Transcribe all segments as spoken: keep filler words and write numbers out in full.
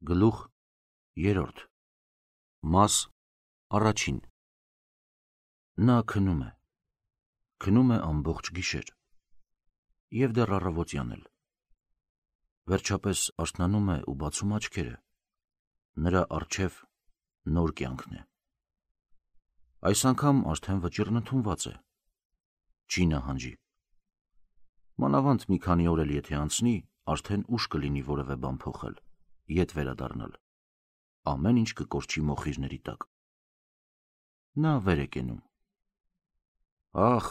Գլուխ երրորդ Մաս առաջին Նա քնում է, քնում է ամբողջ գիշեր, և դեռ առավոտյան էլ, վերջապես արթնանում է ու բացում աչքերը, նրա առջև նոր կյանքն է, այս անգամ արդեն վճիռն ընդունված է, չի նահանջի, մանավանդ մի քանի օր էլ եթե անցնի, արդեն ուշ կլինի որևէ բան փոխել, ետ վերադառնալ, ամեն ինչ կկորչի մոխիրների տակ, նա վեր է կենում, ախ,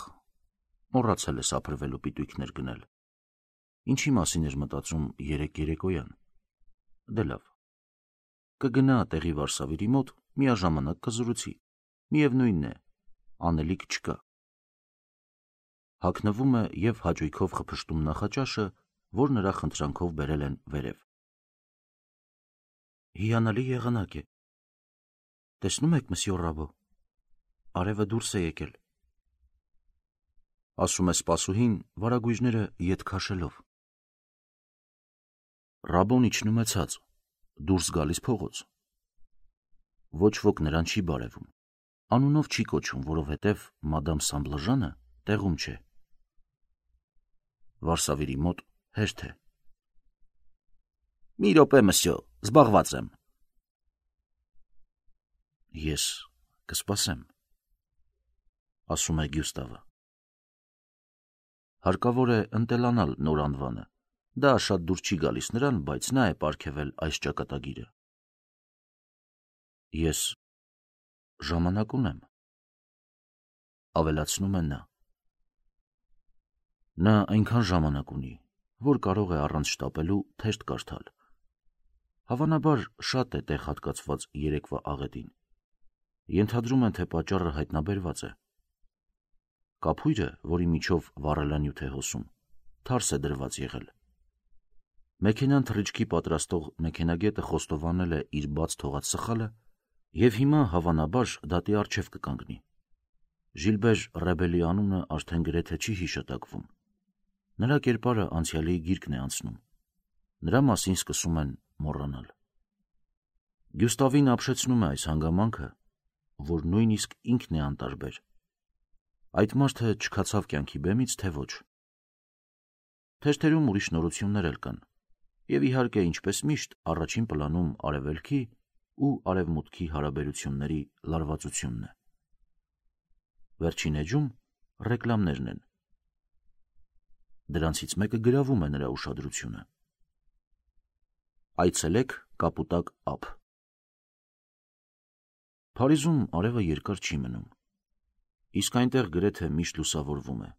մոռացել է սափրվելու պիտույքներ գնել, ինչի մասին էր մտածում երեկ երեկոյան, դե լավ, կգնա տեղի վարսավիրի մոտ, միաժամանակ կզրուցի, միևնույնն է, անելիք չկա, հագնվում է և հաճույքով խփշտում նախաճաշը, որ նրա խնդրանքով բերել են վերև, հիանալի եղանակ է, տեսնում եք մսյոր Ռաբո, արևը դուրս է եկել, ասում է սպասուհին վարագույժները ետ քաշելով, Ռաբոն իջնում է ցած, դուրս գալիս փողոց, ոչ ոք նրան չի բարևում, անունով չի կոչում, որովհետև մադամ Սամբլաժանը տեղում չէ, վարսավիրի մոտ հերթ է, մի րոպե մսյո, զբաղված եմ, ես կսպասեմ, ասում է Գյուստավը, հարկավոր է ընտելանալ նոր անվանը, դա շատ դուր չի գալիս նրան, բայց նա է պարգևել այս ճակատագիրը, ես ժամանակ ունեմ, ավելացնում է նա, նա այնքան ժամանակ ունի, որ կարող է առանց շտապելու թերթ կարդալ, հավանաբար շատ է տեղ հատկացված երեկվա աղետին, ենթադրում են, թե պատճառը հայտնաբերված է, կափույրը, որի միջով վառելանյութ է հոսում, թարս է դրված եղել, մեքենան թռիչքի պատրաստող մեքենագետը խոստովանել է իր բաց թողած սխալը և հիմա հավանաբար դատի առջև կկանգնի, Ժիլբեր Ռեբելի անունը արդեն գրեթե չի հիշատակվում, նրա կերպարը անցյալի գիրկն է անցնում, նրա մասին սկսում են մոռանալ, Գյուստավին ապշեցնում է այս հանգամանքը, որ նույնիսկ ինքն է անտարբեր, այդ մարդը չքացավ կյանքի բեմից, թե ոչ, թերթերում ուրիշ նորություններ էլ կան, և իհարկե ինչպես միշտ առաջին պլանում արևելքի ու արևմուտքի հարաբերությունների լարվածությունն է, վերջին էջում ռեկլամներն են, դրանցից մեկը գրավում է նրա ուշադրությունը, այցելեք կապուտակ ափ, Փարիզում արևը երկար չի մնում, իսկ այնտեղ գրեթե միշտ լուսավորվում է,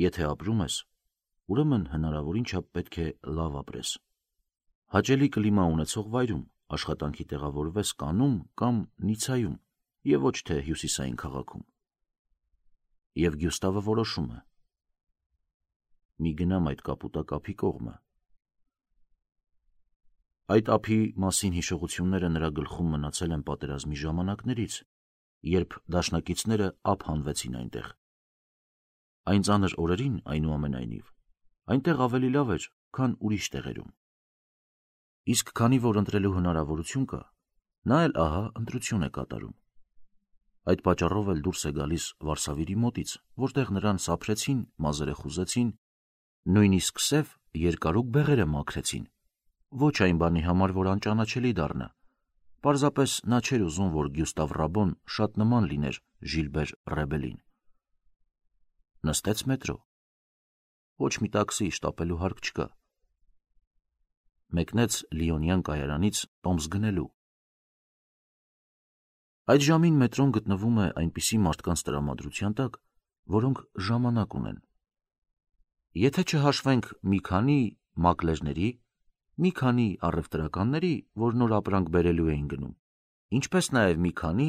եթե ապրում ես, ուրեմն հնարավորին չափ պետք է լավ ապրես, հաճելի կլիմա ունեցող վայրում, աշխատանքի տեղավորվես Կաննում կամ Նիցայում և ոչ թե հյուսիսային քաղաքում, և Գյուստավը որոշում է, մի գնամ այդ կապուտակ ափի կողմը, այդ ափի մասին հիշողությունները նրա գլխում մնացել են պատերազմի ժամանակներից, երբ դաշնակիցները ափ հանվեցին այնտեղ, այն ծանր օրերին այնուամենայնիվ, այնտեղ ավելի լավ էր, քան ուրիշ տեղերում, իսկ քանի որ ընտրելու հնարավորություն կա, նա էլ ահա ընտրություն է կատարում, այդ պատճառով էլ դուրս է գալիս վարսավիրի մոտից, որտեղ նրան սափրեցին, մազերը խուզեցին, նույնիսկ սև երկարուկ բեղերը մաքրեցին, ոչ այն բանի համար, որ անճանաչելի դառնա, պարզապես նա չէր ուզում, որ Գյուստավ Ռաբոն շատ նման լիներ Ժիլբեր Ռեբելին, նստեց մետրո, ոչ մի տաքսի շտապելու հարկ չկա, մեկնեց Լիոնյան կայարանից տոմս գնելու, այդ ժամին մետրոն գտնվում է այնպիսի մարդկանց տրամադրության տակ, որոնք ժամանակ ունեն, եթե չհաշվենք մի քանի մակլերների, մի քանի առևտրականների, որ նոր ապրանք բերելու էին գնում, ինչպես նաև մի քանի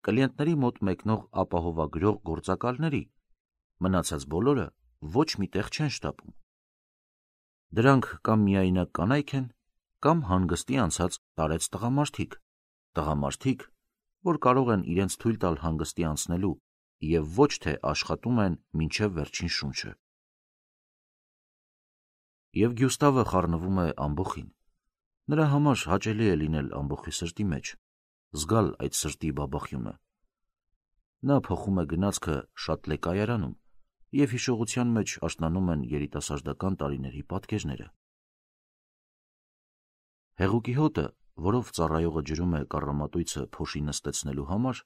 կլիենտների մոտ մեկնող ապահովագրող գործակալների, մնացած բոլորը ոչ մի տեղ չեն շտապում, դրանք կամ միայնակ կանայք են, կամ հանգստի անցած տարեց տղամարդիկ, տղամարդիկ, որ կարող են իրենց թույլ տալ հանգստի անցնելու և ոչ թե աշխատում են մինչև վերջին շունչը, և Գյուստավը խառնվում է ամբոխին, Նրա համար հաճելի է լինել ամբողջի սրտի մեջ, զգալ այդ սրտի բաբախյունը։ Նա փոխում է գնացքը շատ լեկայարանում, և հիշողության մեջ աշնանում են երիտասարդական տարիների պատկերները։ Հեղուկի հոտը, որով ծառայողը ջրում է կառամատույցը փոշի նստեցնելու համար,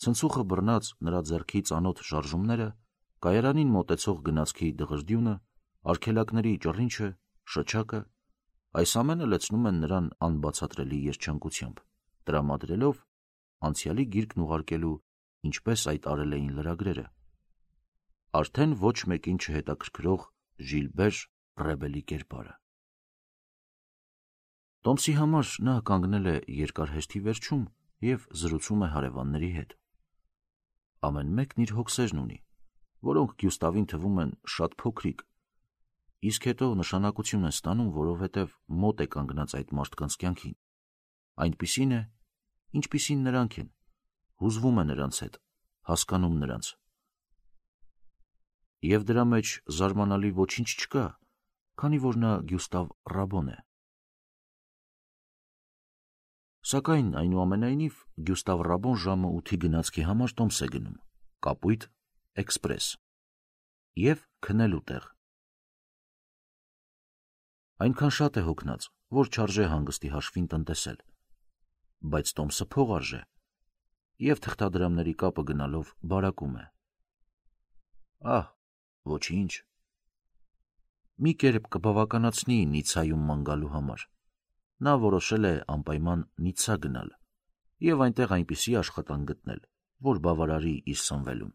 ցնցուխը բռնած նրա ձեռքի ծանոթ շարժումները, կայարանին մոտեցող գնացքի դղրդյունը, արգելակների ճռինչը, շչակը, այս ամենը լցնում են նրան անբացատրելի երջանկությամբ, տրամադրելով անցյալի գիրկն ուղարկելու, ինչպես այդ արել էին լրագրերը, արդեն ոչ մեկին չհետաքրքրող Ժիլբեր Ռեբելի կերպարը։ Տոմսի համար նա կանգնել է երկար հերթի վերջում և զրուցում է հարևանների հետ։ Ամեն մեկն իր հոգսերն ունի, որոնք Գյուստավին թվում են շատ փոքրիկ, իսկ հետո նշանակություն են ստանում, որովհետև մոտ է կանգնած այդ մարդկանց կյանքին, այնպիսին է, ինչպիսին նրանք են, հուզվում է նրանց հետ, հասկանում նրանց։ Եվ դրա մեջ զարմանալի ոչինչ չկա, քանի որ նա Գյուստավ Ռաբոն է։ Սակայն այնուամենայնիվ Գյուստավ Ռաբոն ժամը ութի գնացքի համար տոմս է գնում, կապույտ, էքսպրես և քնելու տեղ։ Այնքան շատ է հոգնած, որ չարժե հանգստի հաշվին տնտեսել, բայց տոմսը փող արժե, և թղթադրամների կապը գնալով բարակում է։ Ահ, ոչինչ։ Մի կերպ կբավականացնի Նիցայում ման գալու համար։ Նա որոշել է անպայման Նիցա գնալ և այնտեղ այնպիսի աշխատանք գտնել, որ բավարարի իր սնվելուն։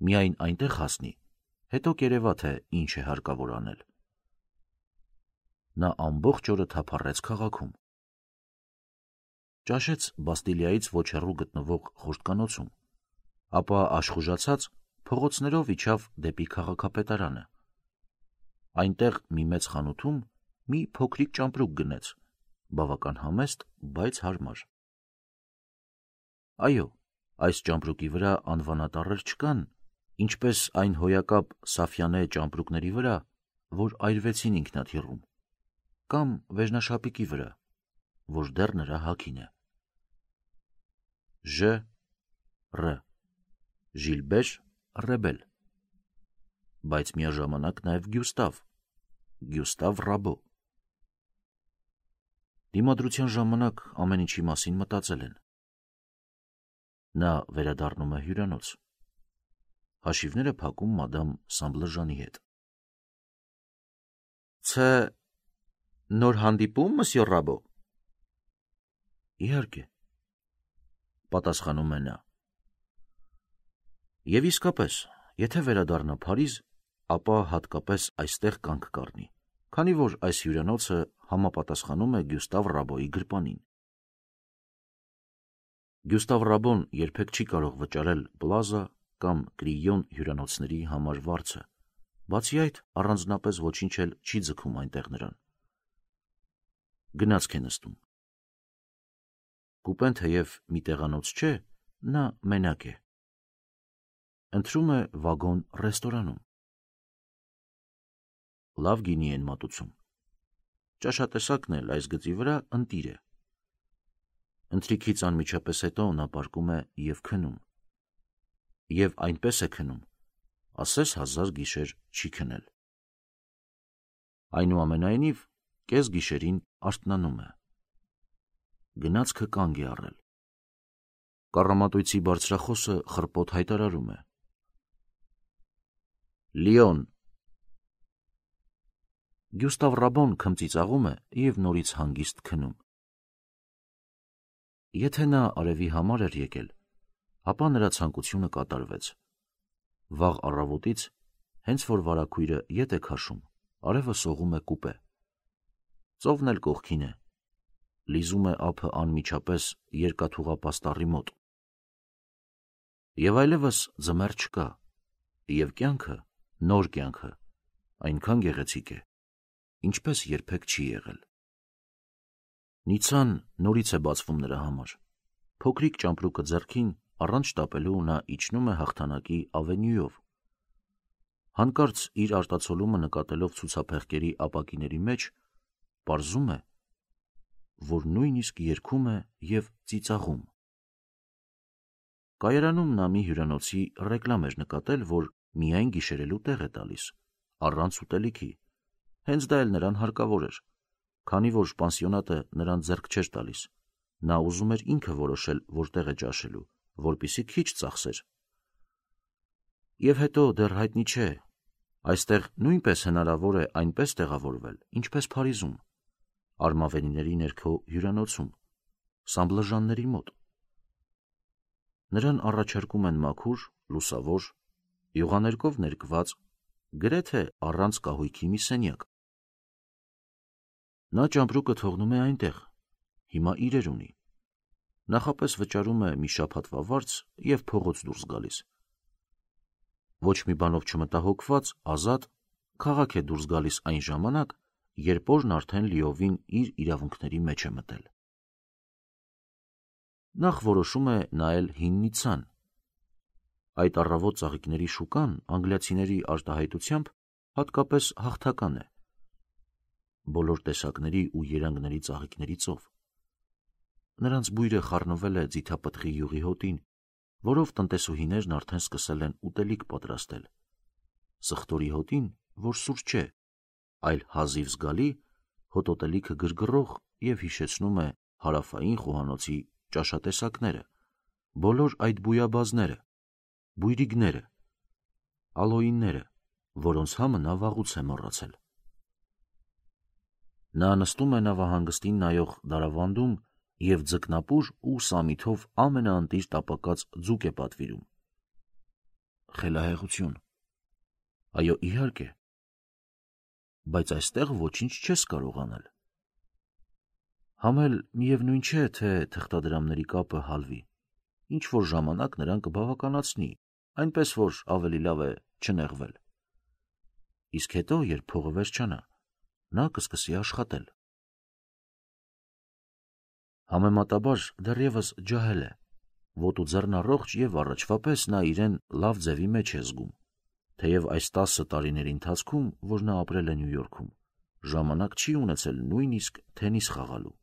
Միայն այնտեղ հասնի, հետո կերևա, թե ինչ է հարկավոր անել։ Նա ամբողջ օրը թափառեց քաղաքում։ Ճաշեց Բաստիլիայից ոչ հեռու գտնվող խորհրդկանոցում, ապա աշխուժացած փողոցներով իջավ դեպի քաղաքապետարանը։ Այնտեղ մի մեծ խանութում մի փոքրիկ ճամպրուկ գնեց, բավական համեստ, բայց հարմար։ Այո, այս ճամպրուկի վրա անվանատառեր չկան, ինչպես այն հոյակապ Սաֆյանե ճամպրուկների վրա, որ այրվեցին ինքնաթիռում, կամ վերնաշապիկի վրա, որ դեռ նրա հագին է։ Ժ. Ռ. Ժիլբեր Ռեբել, բայց միաժամանակ նաև Գյուստավ, Գյուստավ Ռաբո։ Դիմադրության ժամանակ ամեն ինչի մասին մտածել են։ Նա վերադառնում է հյուրանոց։ Հաշիվները փակում մադամ Սամբլժանի հետ։ Ց. Նոր հանդիպում, մսյոր Ռաբո։ Իհարկե, պատասխանում է նա։ Եվ իսկապես, եթե վերադառնա Փարիզ, ապա հատկապես այստեղ կանգ կառնի, քանի որ այս հյուրանոցը համապատասխանում է Գյուստավ Ռաբոյի գրպանին։ Գյուստավ Ռաբոն երբեք չի կարող վճարել Պլազա կամ Կրիոն հյուրանոցների համար վարձը, բացի այդ առանձնապես ոչինչ էլ չի ձգում այնտեղ նրան։ Գնացք է նստում։ Կուպեն թեև մի տեղանոց չէ, նա մենակ է։ Ընտրում է վագոն ռեստորանում։ Լավ գինի են մատուցում։ Ճաշատեսակն էլ այս գծի վրա ընտիր է։ Ընթրիքից անմիջապես հետո նա պառկում է և քնում։ Եվ այնպես է քնում, ասես հազար գիշեր չի քնել։ Այնուամենայնիվ, կես գիշերին արթնանում է։ Գնացքը կանգ է առել։ Կառամատույցի բարձրախոսը խռպոտ հայտարարում է. Լիոն։ Գյուստավ Ռաբոն քմծիծաղում է և նորից հանգիստ քնում։ Եթե նա արևի համար էր եկել, ապա նրա ցանկությունը կատարվեց։ Վաղ առավոտից, հենց որ վարագույրը ետ է քաշում, արևը սողում է կուպե։ Ծովն էլ կողքին է, լիզում է ափը անմիջապես երկաթուղապաստառի մոտ։ Եվ այլևս ձմեռ չկա, և կյանքը, նոր կյանքը, այնքան գեղեցիկ է, ինչպես երբեք չի եղել։ Նիցան նորից է բացվում նրա համար։ Փոքրիկ ճամպրուկը ձեռքին, առանց շտապելու նա իջնում է Հաղթանակի ավենյուով։ Հանկարծ իր արտացոլումը նկատելով ցուցափեղկերի ապակիների մեջ, պարզում է, որ նույնիսկ երգում է և ծիծաղում։ Կայարանում նա մի հյուրանոցի ռեկլամ էր նկատել, որ միայն գիշերելու տեղ է տալիս, առանց ուտելիքի։ Հենց դա էլ նրան հարկավոր էր, քանի որ պանսիոնատը նրան ձեռք չէր տալիս։ Նա ուզում էր ինքը որոշել, որտեղ է ճաշելու, որպեսզի քիչ ծախսեր։ Եվ հետո դեռ հայտնի չէ, այստեղ նույնպես հնարավոր է այնպես տեղավորվել, ինչպես Փարիզում, Արմավենիների ներքո հյուրանոցում, Սամբլժանների մոտ։ Նրան առաջարկում են մաքուր, լուսավոր, յուղաներկով ներկված, գրեթե առանց կահույքի մի սենյակ։ Նա ճամպրուկը թողնում է այնտեղ, հիմա իրեր ունի։ Նախապես վճարում է մի շաբաթվա վարձ և փողոց դուրս գալիս։ Ոչ մի բանով չմտահոգված, ազատ, քաղաք է դուրս գալիս այն ժամանակ, երբ օրն արդեն լիովին իր իրավունքների մեջ է մտել։ Նախ որոշում է նայել հին Նիցցան։ Այդ առավոտ ծաղիկների շուկան անգլիացիների արտահայտությամբ հատկապես հաղթական է։ Բոլոր տեսակների ու երանգների ծաղիկների ծով։ Նրանց բույրը խառնվել է ձիթապտղի յուղի հոտին, որով տնտեսուհիներն արդեն սկսել են ուտելիք պատրաստել։ Սխտորի հոտին, որ սուր չէ, այլ հազիվ զգալի, հոտոտելիքը գրգռող և հիշեցնում է հարավային խոհանոցի ճաշատեսակները, բոլոր այդ բույաբազները, բույրիգները, ալոյինները, որոնց համը նա վաղուց է մոռացել։ Նա նստում է նավահանգստին նայող դարավանդում և ձկնապուր ու սամիթով ամենաընտիր տապակած ձուկ է պատվիրում։ Խելահեղություն։ Այո, իհարկե, բայց այստեղ ոչինչ չես կարող անել։ Համ էլ միևնույն չէ, թե թղթադրամների կապը հալվի, ինչ-որ ժամանակ նրան կբավականացնի, այնպես որ ավելի լավ է չնեղվել։ Իսկ հետո, երբ փողը վերջանա, նա կսկսի աշխատել։ Համեմատաբար դեռևս ջահել է, ոտու ձեռն առողջ և առաջվա պես նա իրեն լավ ձևի մեջ է զգում, թեև այս տասը տարիների ընթացքում, որ նա ապրել է Նյու Յորքում, ժամանակ չի ունեցել նույնիսկ թենիս խաղալու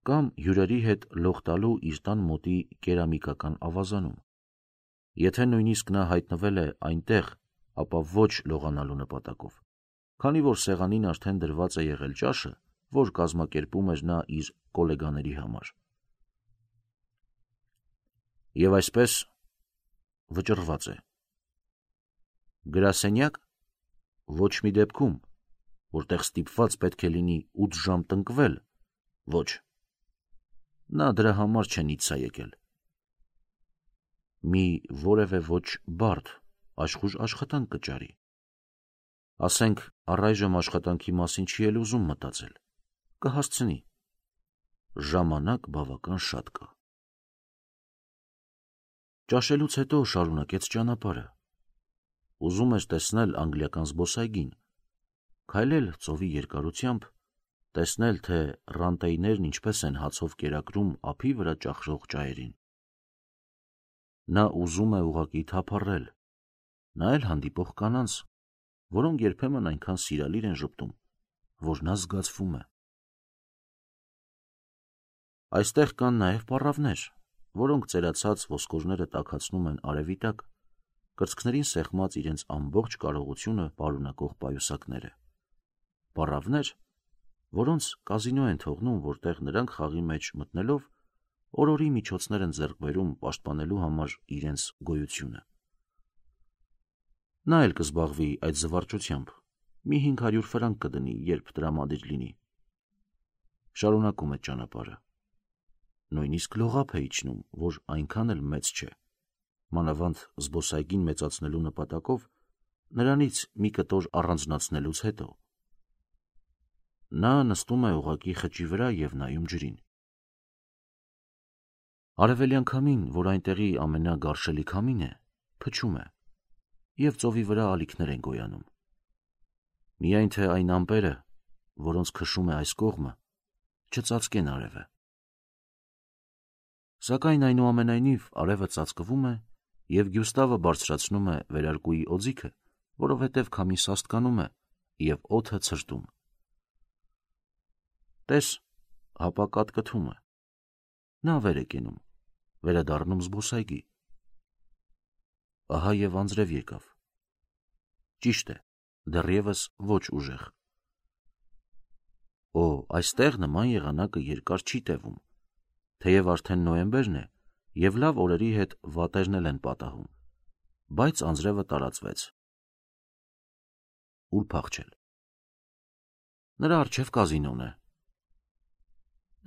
կամ հյուրերի հետ լող տալու իր տան մոտի կերամիկական ավազանում։ Եթե նույնիսկ նա հայտնվել է այնտեղ, ապա ոչ լողանալու նպատակով, քանի որ սեղանին արդեն դրված է եղել ճաշը, որ կազմակերպում էր նա իր կոլեգաների համար։ Եվ այսպես վճռված է։ Գրասենյակ, ոչ մի դեպքում, որտեղ ստիպված պետք է լինի ութ ժամ տնկվել, ոչ։ Նա դրա համար չէ Նիցցա եկել։ Մի որևէ ոչ բարդ, աշխույժ աշխատանք կճարի։ Ասենք, առայժմ աշխատանքի մասին չի էլ ուզում մտածել, կհասցնի։ Ժամանակ բավական շատ կա։ Ճաշելուց հետո շարունակեց ճանապարհը։ Ուզում էր տեսնել անգլիական զբոսայգին, քայլել ծովի երկարությամբ, տեսնել, թե ռանտեիներն ինչպես են հացով կերակրում ափի վրա ճախրող ճայերին։ Նա ուզում է ուղղակի թափառել, նայել հանդիպող կանանց, որոնք երբեմն այնքան սիրալիր են ժպտում, որ նա զգացվում է։ Այստեղ կան նաև պառավներ, որոնք ծերացած ոսկորները տաքացնում են արևի տակ, կրծքներին սեղմած իրենց ամբողջ կարողությունը պարունակող պայուսակները։ Պառավներ, որոնց կազինո են թողնում, որտեղ նրանք խաղի մեջ մտնելով օրորի միջոցներ են ձեռք բերում պաշտպանելու համար իրենց գոյությունը։ Նա էլ կզբաղվի այդ զվարճությամբ, մի հինգ հարյուր ֆրանկ կդնի, երբ տրամադիր լինի։ Շարունակում է ճանապարհը։ Նույնիսկ լողափ է իջնում, որ այնքան էլ մեծ չէ, մանավանդ զբոսայգին մեծացնելու նպատակով նրանից մի կտոր առանձնացնելուց հետո։ Նա նստում է ուղղակի խճի վրա և նայում ջրին։ Արևելյան քամին, որ այնտեղի ամենագարշելի քամին է, փչում է, և ծովի վրա ալիքներ են գոյանում։ Միայն թե այն ամպերը, որոնց քշում է այս կողմը, չծածկեն արևը։ Սակայն այնուամենայնիվ արևը ծածկվում է, և Գյուստավը բարձրացնում է վերարկուի օձիքը, որովհետև քամին սաստկանում է, և օդը ցրտում։ Տես, հապա կատկթում է։ Նա վեր է կենում, վերադառնում զբոսայգի։ Ահա և անձրև եկավ։ Ճիշտ է, դեռևս ոչ ուժեղ։ Օ, այստեղ նման եղանակը երկար չի տևում, թեև արդեն նոյեմբերն է, և լավ օրերի հետ վատերն էլ են պատահում, բայց անձրևը տարածվեց։ Ուր փախչել։ Նրա առջև կազինոն է։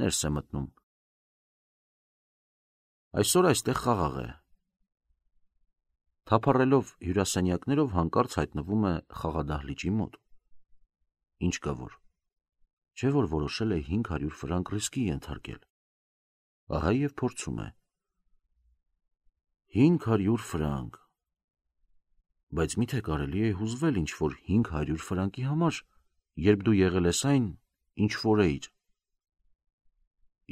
Ներս է մտնում։ Այսօր այստեղ խաղաղ է։ Թափառելով հյուրասենյակներով հանկարծ հայտնվում է խաղադահլիճի մոտ։ Ինչ կա որ։ Չէ որ որոշել է հինգ հարյուր ֆրանկ ռիսկի ենթարկել։ Ահա և փորձում է։ Հինգ հարյուր ֆրանկ։ Բայց միթե կարելի է հուզվել ինչ-որ հինգ հարյուր ֆրանկի համար, երբ դու եղել ես այն, ինչ որ էիր։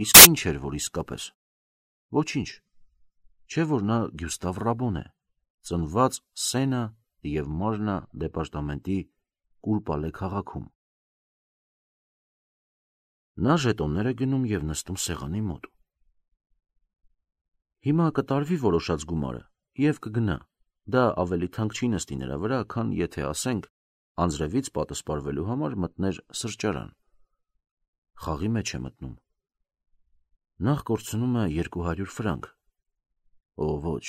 Իսկ ինչ էր, որ իսկապես։ Ոչինչ։ Չէ որ նա Գյուստավ Ռաբոն է, ծնված Սենա և Մարնա դեպարտամենտի Կուլպալե քաղաքում։ Նա ժետոններ է գնում և նստում սեղանի մոտ։ Հիմա կտարվի որոշած գումարը և կգնա։ Դա ավելի թանկ չի նստի նրա վրա, քան եթե, ասենք, անձրևից պատսպարվելու համար մտներ սրճարան։ Խաղի մեջ է մտնում։ Նախ կորցնում է երկու հարյուր ֆրանկ։ Օ, ոչ։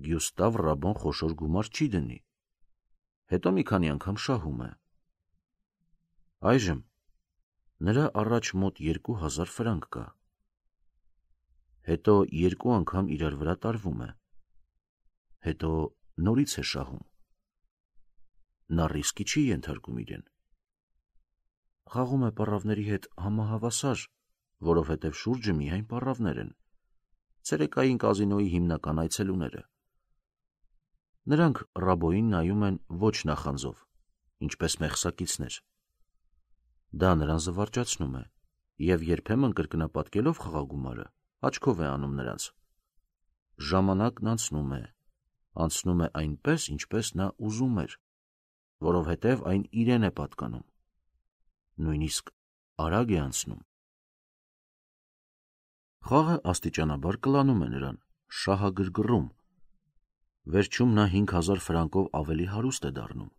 Գյուստավ Ռաբոն խոշոր գումար չի դնի։ Հետո մի քանի անգամ շահում է։ Այժմ նրա առաջ մոտ երկու հազար ֆրանկ կա։ Հետո երկու անգամ իրար վրա տարվում է։ Հետո նորից է շահում։ Նա ռիսկի չի ենթարկում իրեն։ Խաղում է պառավների հետ համահավասար, որովհետև շուրջը միայն պառավներ են։ Ցերեկային կազինոյի հիմնական այցելուները։ Նրանք Ռաբոյին նայում են ոչ նախանձով, ինչպես մեղսակիցներ։ Դա նրան զվարճացնում է, և երբեմն կրկնապատկելով խաղագումարը, աչքով է անում նրանց։ Ժամանակն անցնում է, անցնում է այնպես, ինչպես նա ուզում էր, որովհետև այն իրեն է պատկանում։ Նույնիսկ արագ է անցնում։ Խաղը աստիճանաբար կլանում է նրան, շահագրգռում։ Վերջում նա հինգ հազար ֆրանկով ավելի հարուստ է դառնում։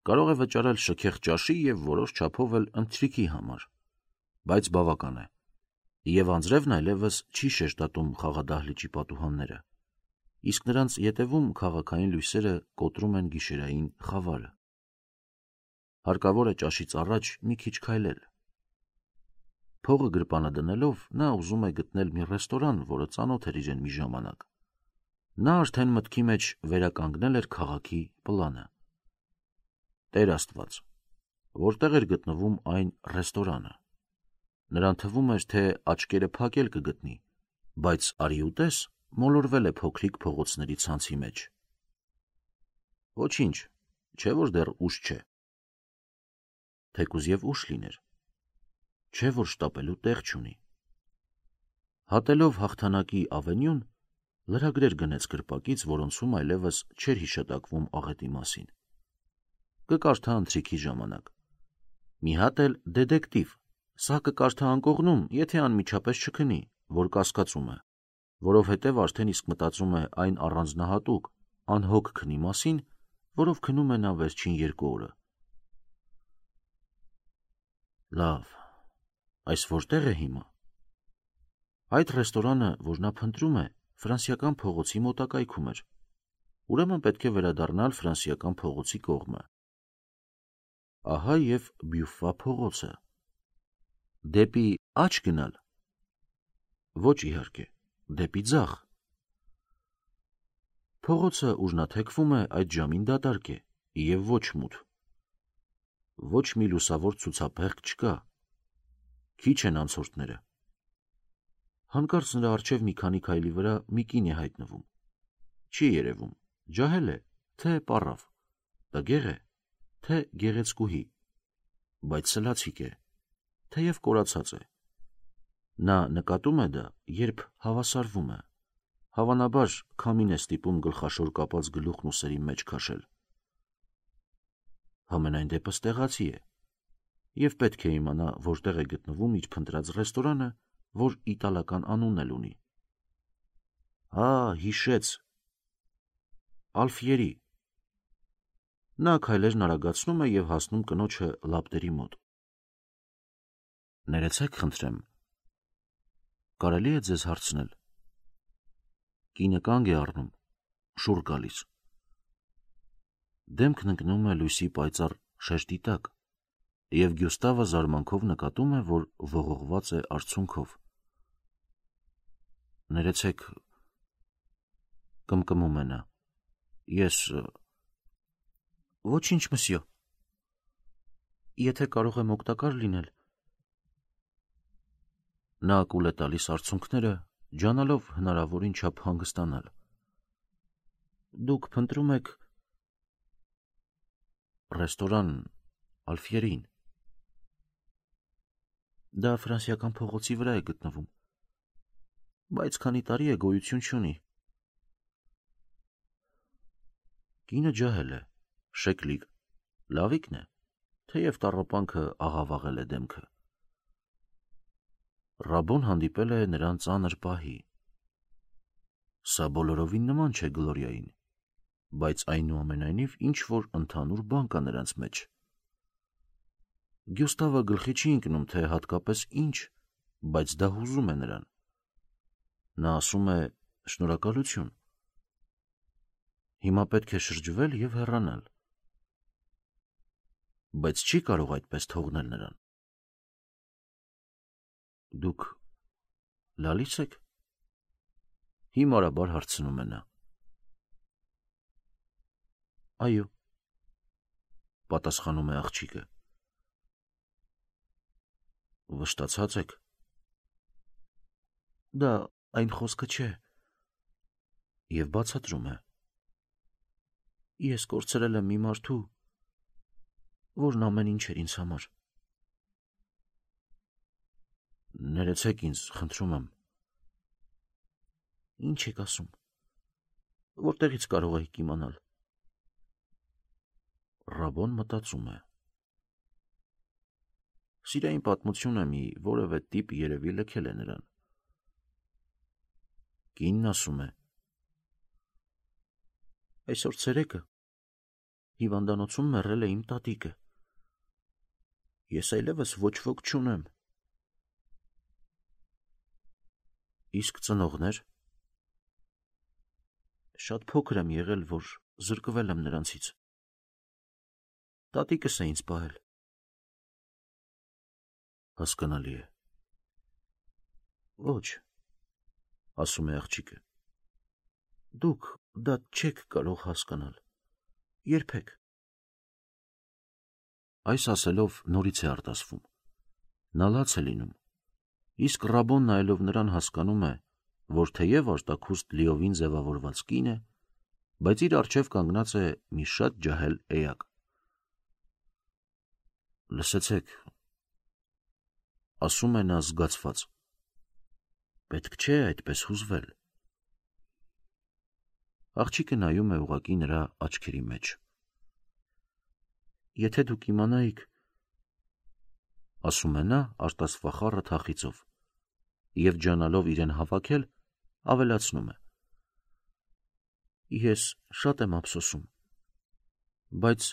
Կարող է վճարել շքեղ ճաշի և որոշ չափով էլ ընթրիքի համար, բայց բավական է, և անձրևն այլևս չի շեշտատում խաղադահլիճի պատուհանները, իսկ նրանց ետևում քաղաքային լույսերը կոտրում են գիշերային խավարը։ Հարկավոր է ճաշից առաջ մի քիչ քայլել։ Փողը գրպանը դնելով նա ուզում է գտնել մի ռեստորան, որը ծանոթ էր իրեն մի ժամանակ։ Նա արդեն մտքի մեջ վերականգնել էր քաղաքի պլանը։ Տեր Աստված, որտեղ էր գտնվում այն ռեստորանը։ Նրան թվում էր, թե աչքերը փակել կգտնի, բայց արի ուտես մոլորվել է փոքրիկ փողոցների ցանցի մեջ։ Ոչինչ, չէ որ դեռ ուշ չէ։ Թեկուզ և ուշ լիներ, չէ որ շտապելու տեղ չունի։ Հատելով հաղթանակի ավենյուն, լրագրեր գնեց կրպակից, որոնցում այլևս չէր հիշատակվում աղետի մասին։ Կկարդա ընթրիքի ժամանակ։ Մի հատ էլ դետեկտիվ, սա կկարդա անկողնում, եթե անմիջապես չքնի, որ կասկածում է, որովհետև արդեն իսկ մտածում է այն առանձնահատուկ, անհոգ քնի մասին, որով քնում է նա վերջին երկու օրը։ Լավ, այս որտեղ է հիմա։ Այդ ռեստորանը, որ նա փնտրում է, ֆրանսիական փողոցի մոտակայքում էր, ուրեմն պետք է վերադառնալ ֆրանսիական փողոցի կողմը։ Ահա և Բյուֆա փողոցը։ Դեպի աջ գնալ։ Ոչ իհարկե, դեպի ձախ։ Փողոցը ուժնաթեքվում է այդ ժամին դատարկ է և ոչ մութ։ Ոչ մի լուսավոր ցուցափեղկ չկա։ Քիչ են անցորդները։ Հանկարծ նրա առջև մի քանի քայլի վրա մի կին է հայտնվում։ Չի երևում, ջահել է, թե պառավ, տգեղ է, թե գեղեցկուհի, բայց սլացիկ է, թեև կորացած է։ Նա նկատում է դա, երբ հավասարվում է։ Հավանաբար քամին է ստիպում գլխաշոր կապած գլուխն ուսերի մեջ քաշել։ Համենայն դեպս տեղացի է, և պետք է իմանա, որտեղ է գտնվում իր փնտրած ռեստորանը, որ իտալական անուն էլ ունի։ Հա, հիշեց, Ալֆիերի։ Նա քայլերն արագացնում է և հասնում կնոջը լապտերի մոտ։ Ներեցեք, խնդրեմ, կարելի է ձեզ հարցնել։ Կինը կանգ է առնում, շուռ գալիս։ Դեմքն ընկնում է լույսի պայծառ շեշտի տակ, և Գյուստավը զարմանքով նկատում է, որ ողողված է արցունքով։ Ներեցեք, կմկմում է նա, ես… Ոչինչ, մսյո, եթե կարող եմ օգտակար լինել… Նա կուլ է տալիս արցունքները, ջանալով հնարավորին չափ հանգստանալ։ Դուք փնտրում եք… Ռեստորան Ալֆիերին։ Դա Ֆրանսիական փողոցի վրա է գտնվում, բայց քանի տարի է գոյություն չունի։ Կինը ջահել է, շեկլիկ, լավիկն է, թեև տառապանքը աղավաղել է դեմքը։ Ռաբոն հանդիպել է նրան ծանր պահի։ Սա բոլորովին նման չէ Գլորիային, բայց այնուամենայնիվ ինչ-որ ընդհանուր բան կա նրանց մեջ։ Գյուստավը գլխի չի ընկնում, թե հատկապես ինչ, բայց դա հուզում է նրան։ Նա ասում է շնորհակալություն։ Հիմա պետք է շրջվել և հեռանալ, բայց չի կարող այդպես թողնել նրան։ Դուք լալի՞ց եք, հիմարաբար հարցնում է նա։ Այո, պատասխանում է աղջիկը։ Վշտացած եք։ Դա այն խոսքը չէ։ Եվ բացատրում է. Ես կորցրել եմ մի մարդու, որն ամեն ինչ էր ինձ համար։ Ներեցեք ինձ, խնդրում եմ։ Ինչ եք ասում, որտեղից կարող եք իմանալ։ Ռաբոն մտածում է։ Սիրային պատմությունը մի որևէ տիպ երևի լքել է նրան։ Կինն ասում է. Այսօր ցերեկը հիվանդանոցում մեռել է իմ տատիկը։ Ես այլևս ոչ ոք չունեմ։ Իսկ ծնողներ… Շատ փոքր եմ եղել, որ զրկվել եմ նրանցից։ Տատիկս է ինձ պահել։ Հասկանալի է։ Ոչ, ասում է աղջիկը, դուք դա չեք կարող հասկանալ, երբեք։ Այս ասելով նորից է արտասվում։ Նա լաց է լինում, իսկ Ռաբոն նայելով նրան հասկանում է, որ թեև արտաքուստ լիովին ձևավորված կին է, բայց իր առջև կանգնած է մի շատ ջահել էակ։ Լսեցեք, ասում է նա զգացված, պետք չէ այդպես հուզվել։ Աղջիկը նայում է ուղղակի նրա աչքերի մեջ։ Եթե դուք իմանայիք, ասում է նա արտասվախառը թախիծով, և ջանալով իրեն հավաքել, ավելացնում է. Ես շատ եմ ափսոսում, բայց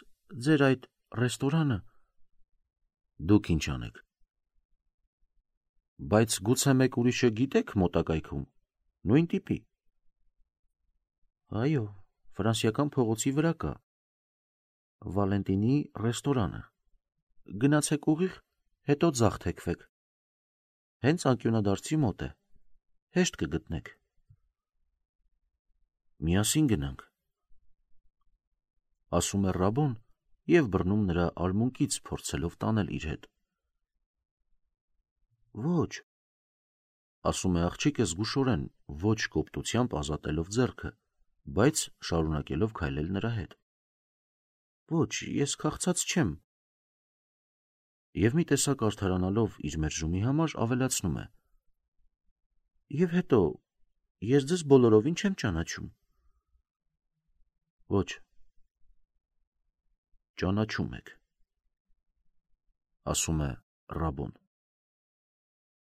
ձեր այդ ռեստորանը… Դուք ինչ անեք։ Բայց գուցե մեկ ուրիշը գիտեք մոտակայքում, նույն տիպի։ Այո, Ֆրանսիական փողոցի վրա կա Վալենտինի ռեստորանը։ Գնացեք ուղիղ, հետո ձախ թեքվեք։ Հենց անկյունադարձի մոտ է, հեշտ կգտնեք։ Միասին գնանք, ասում է Ռաբոն և բռնում նրա արմունկից, փորձելով տանել իր հետ։ Ոչ, ասում է աղջիկը զգուշորեն, ոչ կոպտությամբ ազատելով ձեռքը, բայց շարունակելով քայլել նրա հետ։ Ոչ, ես քաղցած չեմ։ Եվ մի տեսակ արդարանալով իր մերժումի համար ավելացնում է. Եվ հետո, ես ձեզ բոլորովին չեմ ճանաչում։ Ոչ, ճանաչում եք։ ասում է Ռաբոն։